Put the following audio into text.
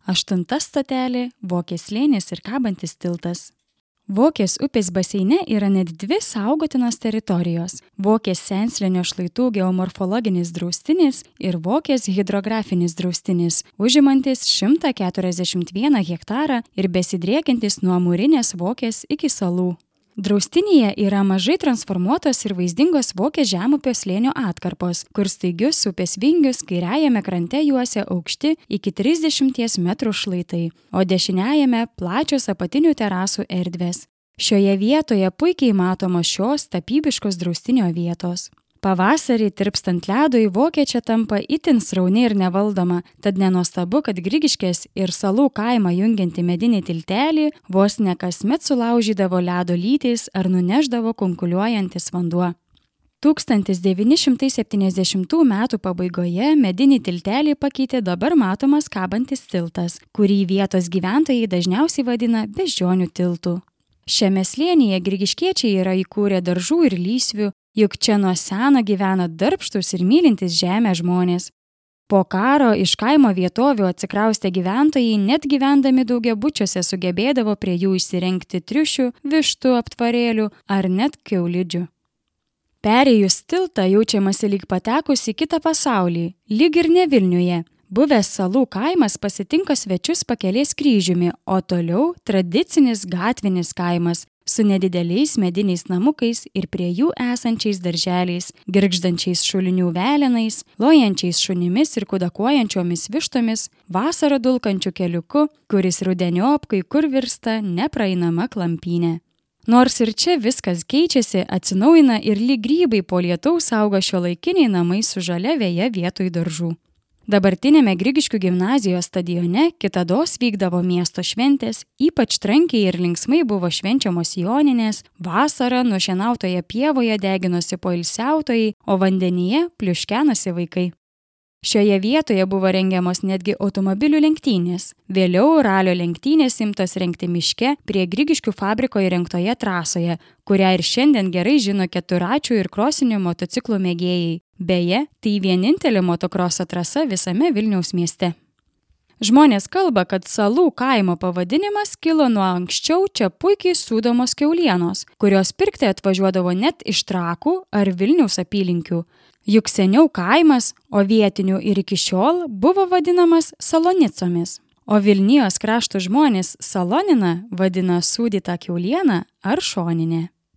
8 stotelė – Vokės slėnis ir kabantis tiltas. Vokės upės baseine yra net 2 saugotinos teritorijos – Vokės senslėnio šlaitų geomorfologinis draustinis ir Vokės hidrografinis draustinis, užimantis 141 hektarą ir besidriekiantis nuo Mūrinės Vokės iki salų. Draustinyje yra mažai transformuotos ir vaizdingos Vokės žemupio slėnio atkarpos, kur staigius upės vingius kairiajame krante juosia aukšti iki 30 metrų šlaitai, o dešiniajame plačios apatinių terasų erdvės. Šioje vietoje puikiai matomos šios tapybiškos draustinio vietos. Pavasarį tirpstant ledui Vokė čia tampa itin srauni ir nevaldoma, tad nenuostabu, kad Grigiškės ir salų kaimą jungianti medinį tiltelį vos ne kasmet sulaužydavo ledo lytys ar nuneždavo kunkuliuojantis vanduo. 1970 metų pabaigoje medinį tiltelį pakeitė dabar matomas kabantis tiltas, kurį vietos gyventojai dažniausiai vadina beždžionių tiltu. Šiame slėnyje grigiškiečiai yra įkūrę daržų ir lysvių, juk čia nuo seno gyvena darbštūs ir mylintys žemę žmonės. Po karo iš kaimo vietovių atsikraustę gyventojai net gyvendami daugiabučiuose sugebėdavo prie jų įsirengti triušių, vištų aptvarėlių ar net kiaulidžių. Perėjus tiltą jaučiamasi lyg patekus į kitą pasaulį, lyg ir ne Vilniuje. Buvęs salų kaimas pasitinka svečius Pakelės kryžiumi, o toliau tradicinis gatvinis kaimas su nedideliais mediniais namukais ir prie jų esančiais darželiais, girgždančiais šulinių velenais, lojančiais šunimis ir kudakuojančiomis vištomis, vasarą dulkančiu keliuku, kuris rudeniop kai kur virsta nepraeinama klampynė. Nors ir čia viskas keičiasi, atsinaujina ir lyg grybai po lietaus auga šiuolaikiniai namai su žalia veja vietoj daržų. Dabartinėme Grigiškių gimnazijos stadione kitados vykdavo miesto šventės, ypač trankiai ir linksmai buvo švenčiamos joninės, vasarą nušienautoje pievoje deginosi poilsiautojai, o vandenyje pliuškenosi vaikai. Šioje vietoje buvo rengiamos netgi automobilių lenktynės. Vėliau ralio lenktynės imtos rengti miške prie Grigiškių fabriko įrengtoje trasoje, kurią ir šiandien gerai žino keturračių ir krosinių motociklų mėgėjai. Beje, tai vienintelė motokroso trasa visame Vilniaus mieste. Žmonės kalba, kad salų kaimo pavadinimas kilo nuo anksčiau čia puikiai sūdomos kiaulienos, kurios pirkti atvažiuodavo net iš Trakų ar Vilniaus apylinkių. Juk seniau kaimas, o vietinių ir iki šiol buvo vadinamas Salonicomis, o Vilnijos krašto žmonės Saloniną vadina sūdytą kiaulieną ar šoninę.